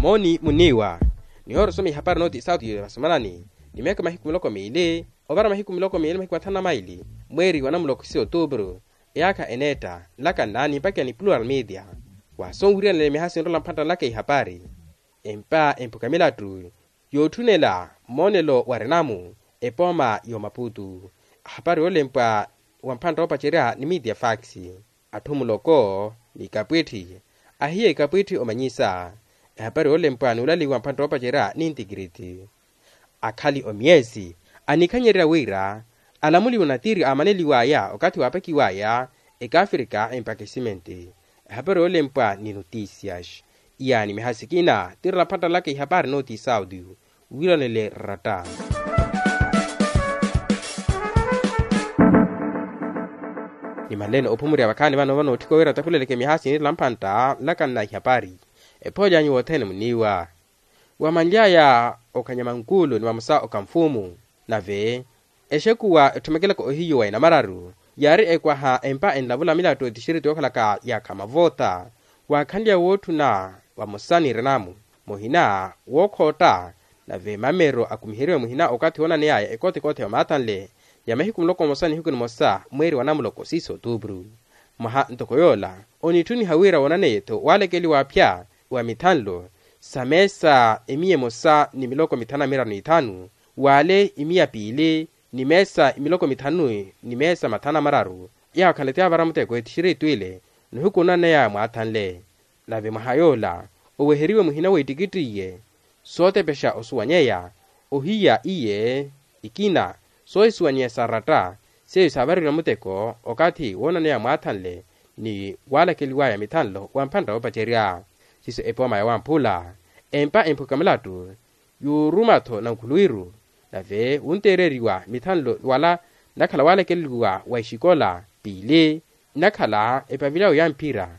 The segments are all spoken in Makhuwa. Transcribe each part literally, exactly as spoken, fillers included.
Mooni muniiwa. Nihoora osoma ihapari nooti isaatu ya vasomanani ni miyaka mahiku miloko miili ovara mahiku miloko miili mahiku mathanu na maili mweeri wa namuloko isi otuupuru. Eyaakha eneetta nlaka nnaani mpakha ni plural media. Waasoowiriyanela mihaasi nrola mphantta nlaka ihapari empa emphuka milattu yootthunela mmoonelo wa renamu epooma y'omaputu. Ahapari oolempwa wa mphantta oopacerya ni media fax. Atthu muloko ni ikapwitthi ahiya ikapwitthi omanyisa. Ehapari oolempwa n'ulaliwa mphantta oopacerya ni intikiriti. Akhali omiyesi anikhanyererya wira alamuliwe onatiri aamaneliw'aya okathi waapakiw'aya ekaafrika empaka esimenti. Ehapari oolempwa ni notisias. Iyaani mihasikina tirela phattalaka ihapari nooti isaudio wiiranele ratta. Nimanleene ophumurya vakhaani vano vano otthika wira takhuleleke mihaasi nirela mphantta nlaka nna ihapari. Ephoolyanyu wothene muniiwa. Wamanly'aya okhanya mankuulu ni vamosa okamfumu. Nave exekuwa etthomekela ohiyu wa enamararu yaari ekwaha empa enlavula milattu etixiritu yookhalaka yaakha mavoota. Waakhanlya wootthuna vamosa ni renamu muhina wookhootta. Nave mamero akumiheriwe muhina okathi woonaneyaya ekothekothe ya maathanle ya mahiku muloko mmosa nihiku nimosa mweeri wa namuloko siiso otuupuru. Mwaha ntoko yoola onittuniha wira woonaneye-tho waalekeliwa aphya wa mithanlo sa meesa emiya emosa ni miloko mithanu na miraru n'ithanu waale imiya piili ni meesa imiloko mithanu ni meesa mathanu na mararu. Yaakhala ti avara muteko etixiritu ile nihuku onaneyaya mwaathanle. Nave mwaha yoola oweheriwe muhina w'ettikittiye sootepexa osuwanyeya ohiya iye ikina soohisuwanyeya sa ratta seiyo saavareliwa muteko okathi woonaneya mwaathanle ni waalakeliwaya mithanlo wa mphantta woopacerya. Siiso epooma ya wamphula empa emphuka milattu yuuruma-tho nankhuluwiru. Nave wunteereriwa mithanlo wala nnakhala waalakeliwa wa exikola piili nnakhala epavilyawo ya mphira.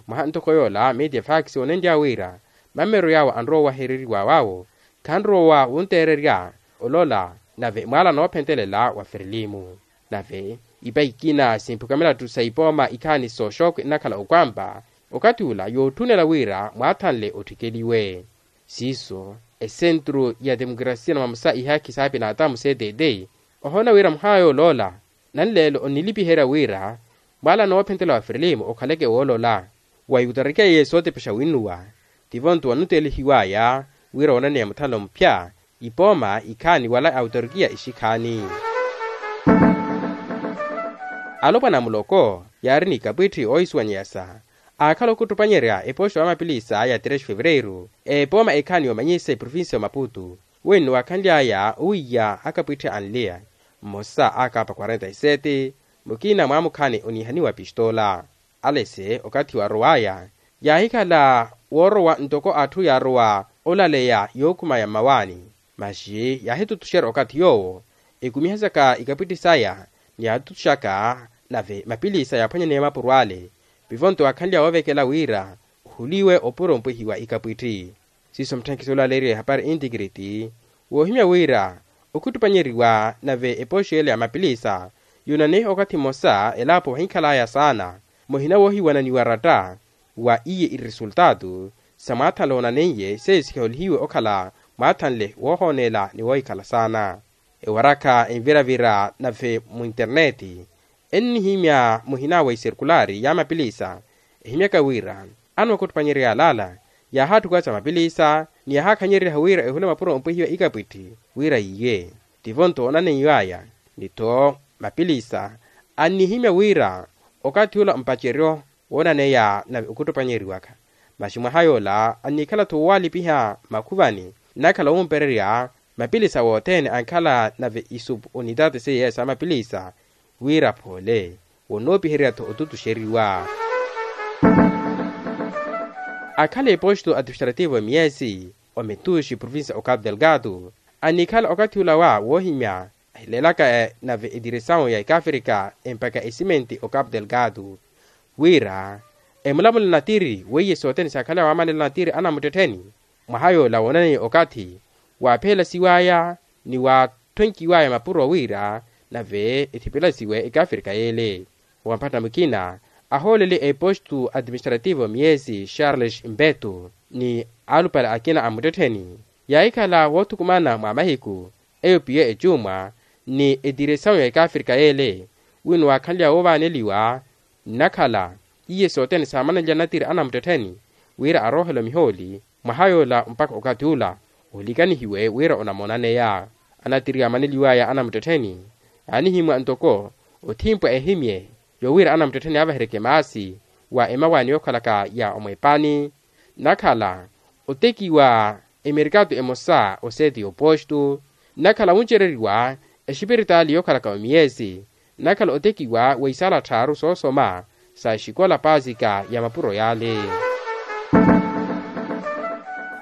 Mwaha ntoko yoola media fax woonenlya wira mamero yaawo anrowa owahereriwa waawo khanrowa wunteererya olola nave mwaala noophentelela wa ferelimu. Nave ipa ikina simphuka milattu sa ipooma ikhaani sooxooko nnakhala okwampa okathi ula yootthunela wira mwaathanle otthikeliwe. Siiso esentru ya temukrasiya na mamosa ihaakhi saapina atamu ctt ohoona wira muhaayo oloola nanleelo onnilipiherya wira mwaala noophentela wa ferelimu okhaleke woolola. Wa iwutarikiya yesu otepexa winnuwa tivo nto wanutelihiwaya wira woonaneya muthanlo mupya ipooma ikhaani wala awutarikiya ixikhaani. Alopwana a muloko yaari ni ikapwitthi oohisuwanyeyasa aakhala okhuttupanyerya epoxo ya mapilisa ya trexi fevereiru epooma ekhaani yoomanyisa eprovincia ya maputu. Wenno waakhanly'aya owiiya akapwitthi anliya mmosa akaapa quarenta y sete mukina mwaamukhaani oniihaniwa pistola. Alese okathi waarow'aya yaahikhala woorowa ntoko atthu yaarowa olaleya yookhumaya mmawaani. Maxi yaahitutuxerya okathi yoowo ekumihasaka ikapwitthi saya ni yaatutuxaka nave mapilisa yaaphwanyaneya mapuro ale. Pivo nto waakhanlya woovekela wira ohuliwe opuro mpwihiwa ikapwitthi. Siiso mutthenkisi olaaleeriwa ehapari intikiriti woohimya wira okhuttupanyeriwa nave epoxi ele ya mapilisa yuunaneyiha okathi mmosa elaapo vahikhalaya saana muhina woohiwananiwa ratta wa iye iresultaatu sa mwaathanle woonaneiye seiyo sikiholihiwe okhala mwaathanle woohooneela ni woohikhala saana. Ewarakha enviravira nave muinterneeti ennihimya muhina wa iserkulaari ya mapilisa ehimyaka wira anookhuttupanyerya yalaala yaahaatthukwaca mapilisa ni yaahaakhanyereryahu wira ehule mapuro ompwehiwa ikapwitthi wira yiiye. Tivo nto oonaneiw'aya ni-tho mapilisa annihimya wira okathi ula mpaceryo woonaneya nave okhuttupanyeriwaka. Maxi mwaha yoola annikhala-tho woowalipiha makhuvani nnakhala wompererya mapilisa wothene ankhala nave isupu unitaati seiye sa mapilisa wira phoole wonnoopihererya-tho otutuxeriwa. Akhala eposto administrativo emiyesi ometuxi provincia o capu delgado annikhala okathi ula wa woohimya ahileelaka nave etiresawu ya ekafrika empaka esimenti o capu delgado wira emulamula natiri weiye sothene saakhala waamanela natiri anamuttettheni. Mwaha yoola woonaneiye okathi waaphelasiwaya ni waathwenkiwaya mapuro wira nave ethipelasiwe ekafrika yeele. Wampatha mukina ahoolele eposto administrativo miyesi charles mbeto ni alupale akina a muttettheni yaahikhala woothukumana mwa mahiku eyo piye ecuumwa ni etiresawu ya ekaafrika yeele wino waakhanlya woovaaneliwa nnakhala iye sothene saamananlya natiri anamuttettheni wira aroohela omihooli mwaha yoola mpakha okathi ula olikanihiwe wira onamonaneya anatiri yaamaneliwaya anamuttettheni yaanihimwa ntoko othimpwa ehimye yowira anamuttettheni avahereke maasi wa emawaani yookhalaka ya omwepaani nnakhala otekiwa emerikato emosa oseeti yoopostu nnakhala wuncereriwa exipiritaali yookhalaka omiyesi nnakhala otekiwa wa isaala tthaaru soosoma sa exikola paasika ya mapuro yaale.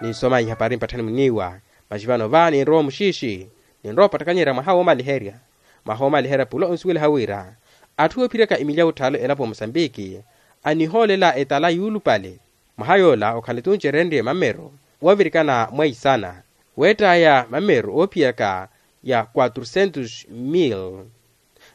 Ninsoma ihapari mpatthani muniiwa masi vano va ninrowa omuxiixi ninrowa opattakanyerya mwaha woomaliherya mwaha woomaliherya pula onsuweliha wira atthu oophiryaka emilya wutthaale elapo wa musambiki anihoolela etala yuulupale mwaha yoola okhala tuncerenrye mammero woovirikana mwa isana weettaya mammero oophiyaka ya quatrucentos mil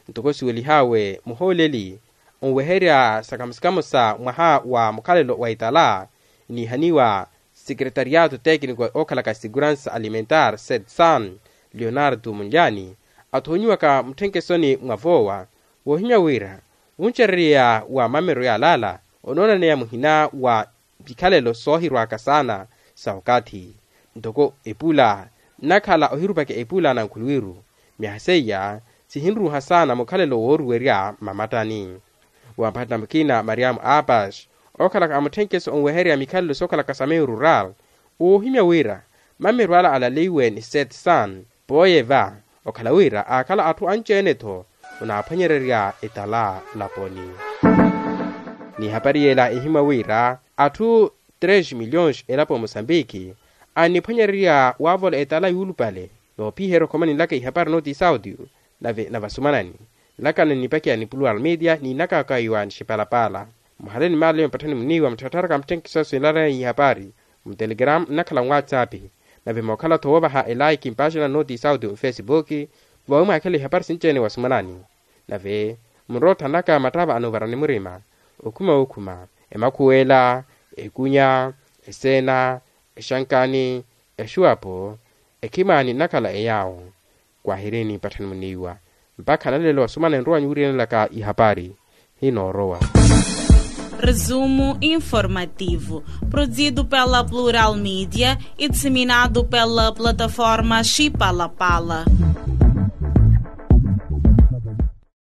ntoko siwelihawe muhooleli onweherya sakamusikamusa mwaha wa mukhalelo wa itala iniihaniwa secretariato técnico ookhalaka seguransa alimentar setsan leonardo munlyani athoonyiwaka mutthenkhesoni mwa voowa woohimya wira wuncererya wa mammero yaalaala onoonaneya muhina wa mikhalelo soohirwaka saana sa okathi ntoko epula nnakhala ohirupaka epula na nkhuluwiru myaha seiya sihinruuha saana mukhalelo wooruwerya mmamattani wampattana mukina mariamu apash ookhalaka amutthenkeso onweherya mikhalelo sookhalaka sa meyo rural woohimya wira mammero ala alaleiwe ni setsan pooye va okhala wira aakhala atthu anci-ene-tho onaaphwanyererya etala laponi n'ihapari yeela ehimwa wira atthu tres miliyons elapo ya musambiki anniphwanyererya waavola etala yuulupale noophiherya okhomani nlaka ihapari nooti sauti nave na vasumanani nlakana nnipakiya ni plural media niinakaka iwa nixipalapala muhaleni maaleyo mpatthani muniiwa mutthattharaka mutthenkiso sinlaleya ihapari mutelegram nnakhala nwatsapi nave mookhala-tho woovaha elaiki mpaaxina nooti sauti mufesipuki vawi mwaakhela ihapari sinci-ene wasumanani nave munrowa otthanaka mattava anovarani murima okhuma wookhuma emakhuwela ekunya eseena exankani exuwapo ekhimani nnakhala eyaawo kwahirini mpatthani muniiwa mpakha nalelo wasumana enrowa nyuwiriyanelaka ihapari hinoorowa. Resumo informativo, produzido pela Plural Mídia e disseminado pela plataforma Chipalapala.